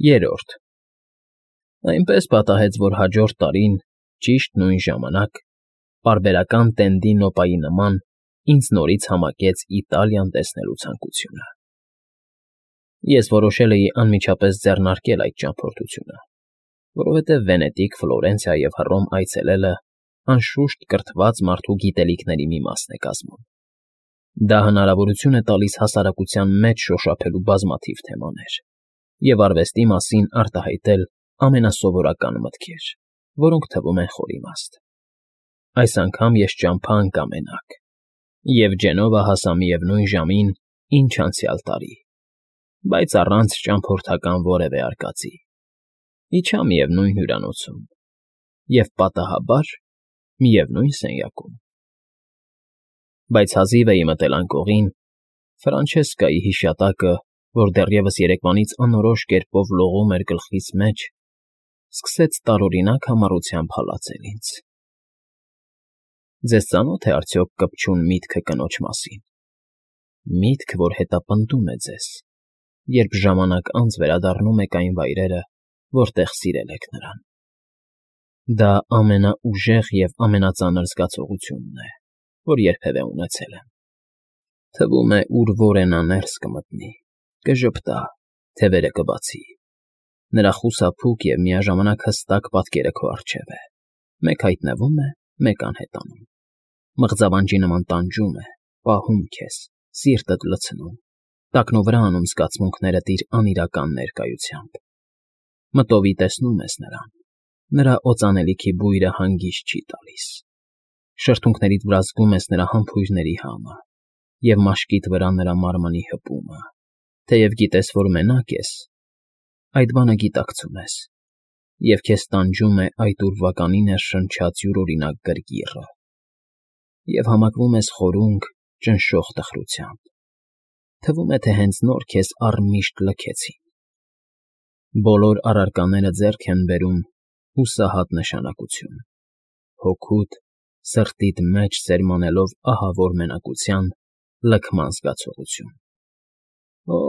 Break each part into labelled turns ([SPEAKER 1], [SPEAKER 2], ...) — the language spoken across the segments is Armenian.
[SPEAKER 1] Երրորդ Այնպես պատահեց, որ հաջորդ տարին, ճիշտ նույն ժամանակ, պարբերական տենդի նոպայի նման ինձ նորից համակեց Իտալիան տեսնելու ցանկությունը։ Ես որոշել էի անմիջապես ձեռնարկել այդ ճամփորդությունը, որովհետև Վենետիկ, Ֆլորենցիա և Հռոմ այցելելը անշուշտ կրթված մարդու գիտելիքների մի մասն է կազմում։ Դա հնարավորություն է տալիս հասարակության մեջ շոշափելու բազմաթիվ թեմաներ և արվեստի մասին արտահայտել ամենասովորական մտքեր, որոնք թվում են խոր իմաստ։ Այս անգամ ես ճամփա ընկա մենակ, և Ջենովա հասա միևնույն ժամին, ինչ անցյալ տարի, բայց առանց ճամփորդական որևէ արկածի։ Իջա միևնույն հյուրանոցում և պատահաբար միևնույն սենյակում։ Բայց հազիվ էի մտել անկողին, Ֆրանչեսկայի հիշատակը, որ դեռևս երեկվանից անորոշ կերպով լողում էր գլխիս մեջ, սկսեց տարօրինակ համառությամբ հալածել ինձ։ Ձեզ ծանո՞թ է արդյոք կպչուն միտքը կնոջ մասին, միտք, որ հետապնդում է ձեզ, երբ ժամանակ անց վերադառնում եք այն վայրերը, որտեղ սիրել եք նրան։ Դա ամենաուժեղ և ամենածանր զգացողությունն է, որ երբևէ ունեցել եմ։ Թվում է, ուր որ է նա ներս կմտնի, կժպտա, թևերը կբացի։ Նրա խուսափուկ և միաժամանակ հստակ պատկերը քո առջև է, մեկ հայտնվում է, մեկ անհետանում, մղձավանջի նման տանջում է, պահում քեզ, սիրտդ լցնում, տակնովրա անում զգացմունքներդ իր անիրական ներկայությամբ։ Մտովի տեսնում ես նրան, նրա օծանելիքի բույրը հանգիստ չի տալիս։ Շրթունքներիդ վրա զգում ես նրա համբույրների համը և մաշկիդ վրա նրա մարմնի հպումը, թեև գիտես, որ մենակ ես, այդ բանը գիտակցում ես, և քեզ տանջում է այդ ուրվականի ներշնչած յուրօրինակ գրգիռը, և համակվում ես խորունկ, ճնշող տխրությամբ։ Թվում է, թե հենց նոր քեզ առմիշտ լքեցին։ Բոլոր առարկաները ձեռք են բերում հուսահատ նշանակություն, հոգուդ, սրտիդ մեջ սերմանելով ահավոր մենակության, լքման զգացողություն։ Օ՜,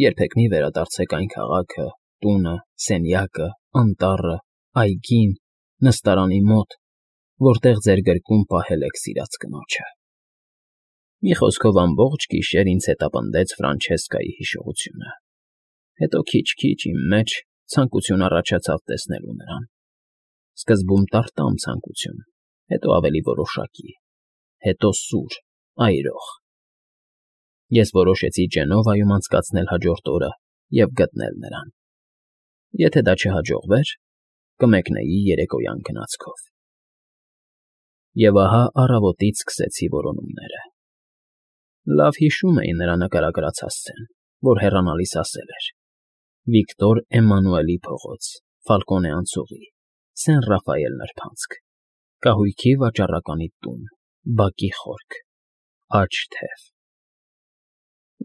[SPEAKER 1] երբեք մի վերադարձեք այն քաղաքը, տունը, սենյակը, անտառը, այգին, նստարանի մոտ, որտեղ ձեր գրկում պահել եք սիրած կնոջը։ Մի խոսքով ամբողջ գիշեր ինձ հետապնդեց Ֆրանչեսկայի հիշողությունը։ Հետո քիչ-քիչ իմ մեջ ցանկություն առաջացավ տեսնելու նրան։ Սկզբում տարտամ ցանկություն, հետո ավելի որոշակի, հետո սուր, այրող։ Ես որոշեցի Ջենովայում անցկացնել հաջորդ օրը և գտնել նրան։ Եթե դա չհաջողվեր, կմեկնեի երեկոյան գնացքով։ Եվ ահա առավոտից սկսեցի որոնումները։ Լավ հիշում էի նրա նկարագրած հասցեն, որ հեռանալիս ասել էր. Վիկտոր Էմմանուելի փողոց, Ֆալկոնե անցուղի, Սեն Ռաֆայել նրբանցք, կահույքի վաճառականի տուն, բակի խորք, աջ թև։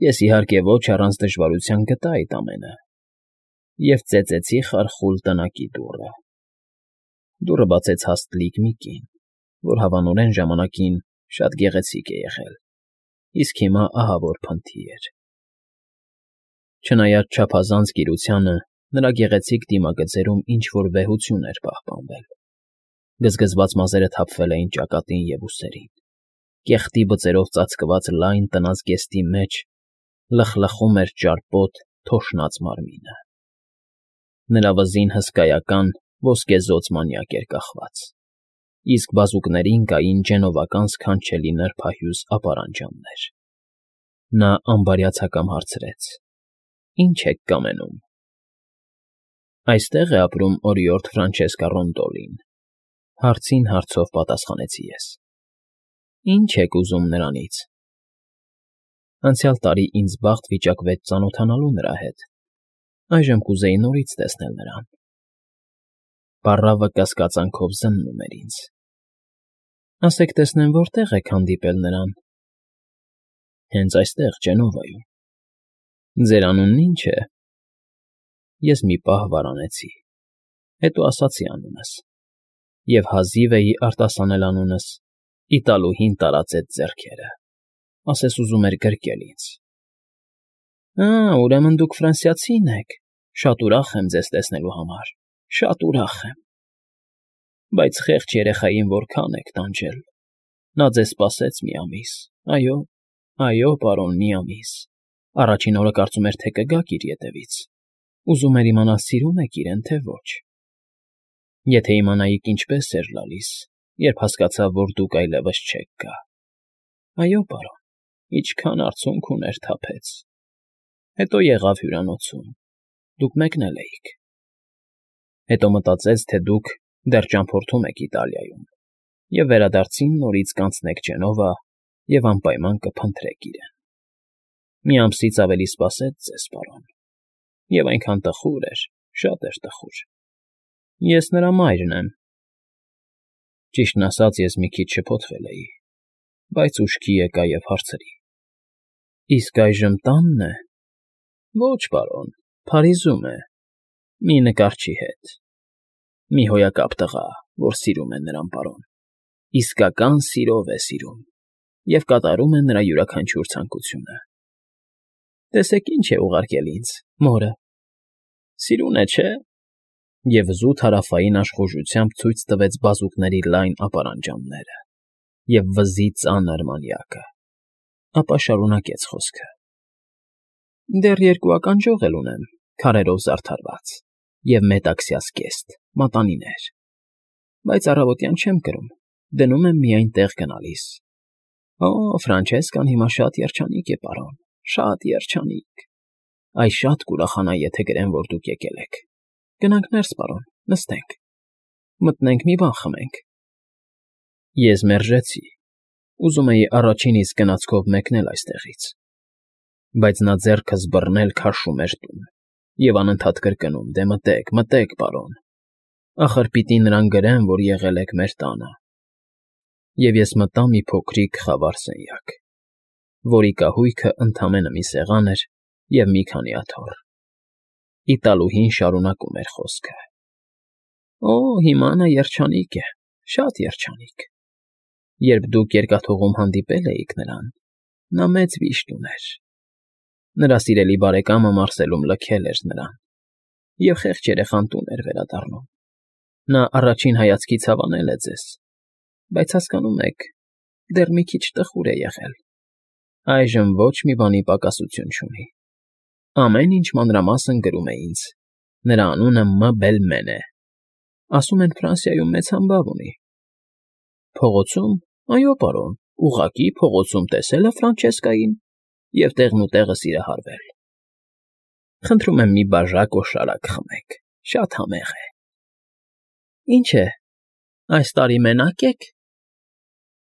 [SPEAKER 1] Ես, իհարկե, ոչ առանց դժվարության գտա այդ ամենը և ծեծեցի խարխուլ տնակի դուռը։ Դուռը բացեց հաստլիկ մի կին, որ հավանորեն ժամանակին շատ գեղեցիկ է եղել, իսկ հիմա ահավոր փնթի էր։ Չնայած չափազանց կիրությանը, նրա գեղեցիկ դիմագծերում ինչ֊որ վեհություն էր պահպանվել։ Գզգզված մազերը թափվել էին ճակատին և ուսերին, կեղտի բծերով ծածկված լայն տնազգեստի մեջ լխլխում էր ճարպոտ, թոշնած մարմինը։ Նրա վզին հսկայական, ոսկեզօծ մանյակ էր կախված, իսկ բազուկներին կային ջենովական սքանչելի նրբահյուզ ապարանջաններ։ Նա ամբարյացակամ հարցրեց. Ի՞նչ եք կամենում։ Այստե՞ղ է ապրում օրիորդ Ֆրանչեսկա Ռոնդոլին, հարցին հարցով պատասխանեցի ես։ Ի՞նչ եք ուզում նրանից։ Անցյալ տարի ինձ բախտ վիճակվեց ծանոթանալու նրա հետ, այժմ կուզեի նորից տեսնել նրան։ Պառավը կասկածանքով զննում էր ինձ։ Ասեք տեսնեմ, որտե՞ղ եք հանդիպել նրան։ Հենց այստեղ, Ջենովայում։ Ձեր անունն ի՞նչ է։ Ես մի պահ վարանեցի, հետո ասացի անունս, և հազիվ էի արտասանել անունս, իտալուհին տարածեց ձեռքերը, ասես ուզում էր գրկել ինձ։ Ուրեմն դուք ֆրանսիացին եք, Շատ ուրախ եմ ձեզ տեսնելու համար, շատ ուրախ եմ։ Բայց խեղճ երեխային որքան եք տանջել։ Նա ձեզ սպասեց մի ամիս, այո, պարոն, մի ամիս։ Առաջին օրը կարծում էր, թե կգաք իր ետևից։ Ուզում էր իմանալ սիրում եք իրեն, թե ոչ։ Եթե իմանայիք ինչպես էր լալիս, երբ հասկացավ, որ դուք այլևս չեք գա։ Այո, պարոն, ինչքան արցունք ուներ թափեց։ Հետո եղավ հյուրանոցում։ Դուք մեկնել էիք։ Հետո մտածեց, թե դուք դեռ ճամփորդում եք Իտալիայում, և վերադարձին նորից կանցնեք Ջենովա և անպայման կփնտրեք իրեն։ Մի ամսից ավելի սպասեց ձեզ, պարոն, և այնքան տխուր էր, շատ էր տխուր։ Ես նրա մայրն եմ։ Ճիշտն ասած, ես մի քիչ շփոթվել էի, բայց ուշքի եկա և հարցրի. Իսկ այժմ տա՞նն է։ Ոչ, պարոն, Փարիզում է, մի նկարչի հետ։ Մի հոյակապ տղա, որ սիրում է նրան, պարոն, իսկական սիրով է սիրում և կատարում է նրա յուրաքանչյուր ցանկությունը։ Տեսեք ինչ է ուղարկել ինձ, մորը։ Սիրուն է, չէ՞։ Եվ զուտ հարավային աշխուժությամբ ցույց տվեց բազուկների լայն ապարանջանները և վզի ծանր մանյակը, ապա շարունակեց խոսքը. Դեռ երկու ականջող էլ ունեմ, քարերով զարդարված, և մետաքսյա զգեստ, մատանիներ, բայց առավոտյան չեմ կրում, դնում եմ միայն տեղ գնալիս։ Օ, Ֆրանչեսկան հիմա շատ երջանիկ է, պարոն, շատ երջանիկ։ Այ շատ կուրախանա, եթե գրեմ, որ դուք եկել եք։ Գնանք ներս, պարոն, նստենք, մտնենք մի բան խմենք։ Ես մերժեցի, ուզում էի առաջին իսկ գնացքով մեկնել այստեղից, բայց նա ձեռքս բռնել քաշում էր տուն և անընդհատ կրկնում. «Դե մտեք, մտեք, պարոն, ախր պիտի նրան գրեմ, որ եղել եք մեր տանը»։ Եվ ես մտա մի փոքրիկ խավար սենյակ, որի կահույքը ընդամենը մի սեղան էր և մի քանի աթոռ։ Իտալուհին շարունակում էր խոսքը. Օ, հիմա նա երջանիկ է, շատ երջանիկ։ Երբ դուք երկաթուղում հանդիպել էիք նրան, նա մեծ վիշտ ուներ։ Նրա սիրելի բարեկամը Մարսելում լքել էր նրան, և խեղճ երեխան տուն էր վերադառնում։ Նա առաջին հայացքից հավանել է ձեզ, բայց հասկանում եք, դեռ մի քիչ տխուր է եղել։ Այժմ ոչ մի բանի պակասություն չունի։ Ամեն ինչ մանրամասն գրում է ինձ։ Նրա անունը Բելմեն է։ Ասում են Ֆրանսիայում մեծ համբավ ունի։ Փողոցում, այո, պարոն, ուղղակի փողոցում տեսել է Ֆրանչեսկային և տեղն ու տեղը սիրահարվել։ Խնդրում եմ մի բաժակ օշարակ խմեք, շատ համեղ է։ Ինչ է, այս տարի մենակ եք։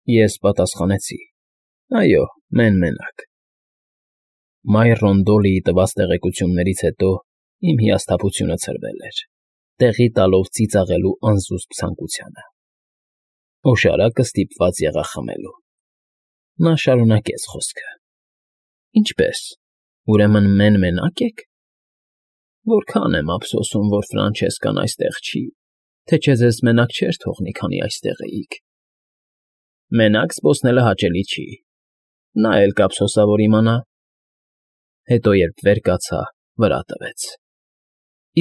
[SPEAKER 1] Ես պատասխանեցի. Այո, մենակ։ Մայր Ռոնդոլիի տված տեղեկություններից հետո իմ հիասթափությունը ցրվել էր, տեղի տալով ծիծաղելու անզուսպ ցանկությանը։ Օշարակը ստիպված եղա խմելու։ Նա շարունակեց խոսքը. Ինչպե՞ս, ուրեմն մենակ եք։ Որքան եմ ափսոսում, որ Ֆրանչեսկան այստեղ չի, թե չէ ձեզ մենակ չէր թողնի, քանի այստեղ էիք։ Մենակ զբոսնելը հաճելի չի, նա էլ կափսոսա, որ իմանա։ Հետո, երբ վեր կացա, վրա տվեց.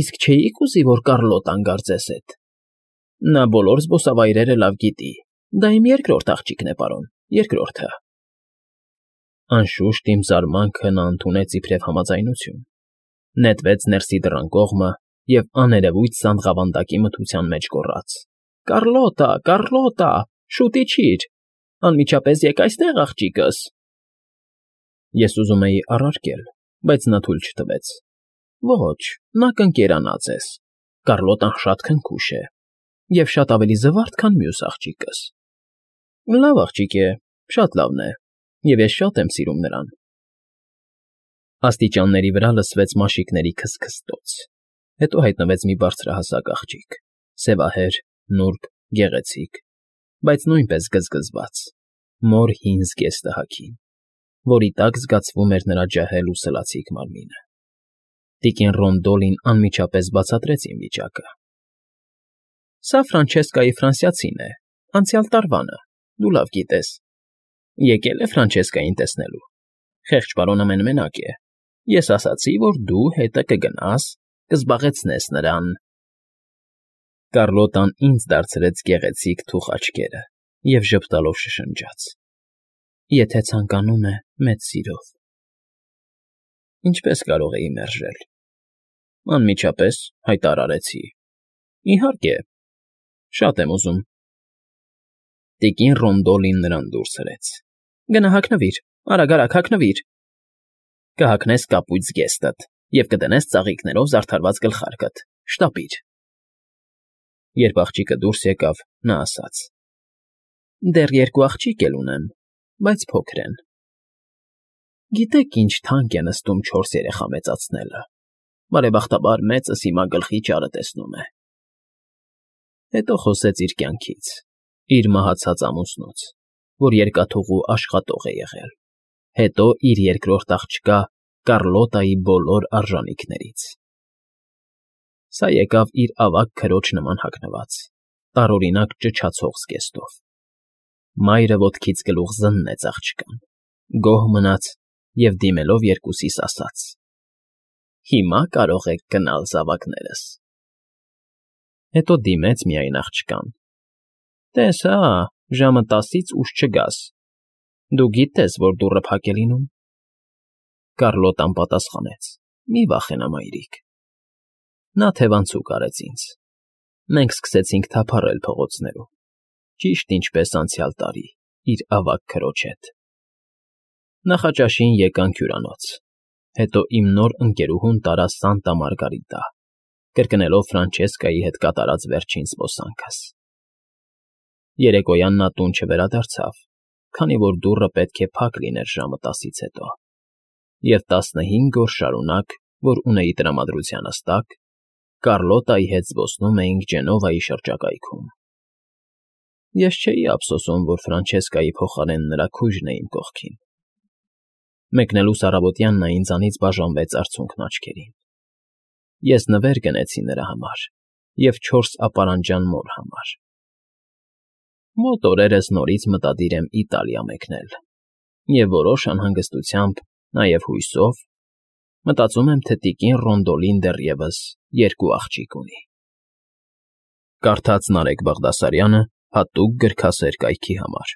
[SPEAKER 1] Իսկ չէի՞ք ուզի, որ Կառլոտան գար ձեզ հետ։ Նա բոլոր զբոսավայրերը լավ գիտի, դա իմ երկրորդ աղջիկն է, պարոն, երկրորդը։ Անշուշտ իմ զարմանքը նա ընդունեց իբրև համաձայնություն, նետվեց ներսի դռան կողմը և աներևույթ սանդղավանդակի մթության մեջ գոռաց. Կառլոտա, Կառլոտա, շուտ իջիր, անմիջապես եկ այստեղ, աղջիկս։ Ես ուզում էի առարկել, բայց նա թույլ չտվեց։ Ոչ, նա կընկերանա ձեզ։ Կառլոտան շատ քնքուշ է և շատ ավելի զվարթ, քան մյուս աղջիկս։ Լավ աղջիկ է, շատ լավն է, և ես շատ եմ սիրում նրան։ Աստիճանների վրա լսվեց մաշիկների քստքստոց, հետո հայտնվեց մի բարձրահասակ աղջիկ, սևահեր, նուրբ, գեղեցիկ, բայց նույնպես գզգզված, մոր հին զգեստը հագին, որի տակ զգացվում էր նրա ջահել ու սլացիկ մարմինը։ Տիկին Ռոնդոլին անմիջապես բացատրեց իմ վիճակը։ Սա Ֆրանչեսկայի ֆրանսիացին է, անցյալ տարվանը, դու լավ գիտես։ Եկել է Ֆրանչեսկային տեսնելու։ Խեղճ պարոնը մենակ է։ Ես ասացի, որ դու հետը կգնաս կզբաղեցնես նրան։ Կառլոտան ինձ դարձրեց գեղեցիկ թուխ աչքերը և ժպտալով շշնջաց. Եթե ցանկանում է մեծ սիրով։ Ինչպես կարող էի մերժել։ Անմիջապես հայտարարեցի. Իհարկե, շատ եմ ուզում։ Տիկին Ռոնդոլին նրան դուրս հրեց. Գնա հագնվիր, արագ հագնվիր։ Կհագնես կապույտ զգեստդ և կդնես ծաղիկներով զարդարված գլխարկդ, շտապիր։ Երբ աղջիկը դուրս եկավ, նա ասաց. Դեռ երկու աղջիկ էլ ունեմ, բայց փոքր են։ Գիտեք ինչ թանկ է նստում 4 երեխա մեծացնելը, բարեբախտաբար մեծս հիմա գլխի ճարը տեսնում է։ Հետո խոսեց իր կյանքից, իր մահացած ամուսնուց, որ երկաթուղու աշխատող է եղել, հետո իր երկրորդ աղջկա Կառլոտայի բոլոր արժանիքներից։ Սա եկավ իր ավագ քրոջ նման հագնված, տարօրինակ ճչացող զգեստով։ Մայրը ոտքից գլուխ զննեց աղջկան, գոհ մնաց և դիմելով երկուսիս ասաց. Հիմա կարող եք գնալ, զավակներս։ Հետո դիմեց միայն աղջկան. Տես հա, ժամը 10-ից ուշ չգաս։ Դու գիտես, որ դուռը փակ է լինում։ Կառլոտան պատասխանեց. Մի վախենա, մայրիկ։ Նա թևանցուկ արեց ինձ։ Մենք սկսեցինք թափառել փողոցներում, ճիշտ ինչպես անցյալ տարի, իր ավագ քրոջ հետ։ Նախաճաշին եկանք հյուրանոց, հետո իմ նոր ընկերուհուն տարավ Սանտա Մարգարիտա, կրկնելով Ֆրանչեսկայի հետ կատարած վերջին զբոսանքս։ Երեկոյան նա տուն չվերադարձավ, քանի որ դուռը պետք է փակ լիներ ժամը 10-ից հետո, և 15 օր շարունակ, որ ունեի տրամադրությանս տակ, Կառլոտայի հետ զբոսնում էինք Ջենովայի շրջակայքում։ Ես չէի ափսոսում, որ Ֆրանչեսկայի փոխարեն նրա քույրն է իմ կողքին։ Մեկնելուս առավոտյան նա ինձանից բաժանվեց արցունքն աչքերին։ Ես նվեր գնեցի նրա համար և 4 ապարանջան մոր համար։ Մոտ օրերս նորից մտադիր եմ Իտալիա մեկնել և որոշ անհանգստությամբ, նաև հույսով, մտածում եմ, թե տիկին Ռոնդոլին դեռևս 2 աղջիկ ունի։ Կարդաց Նարեկ Բաղդասարյանը հատուկ գրքասեր կայքի համար։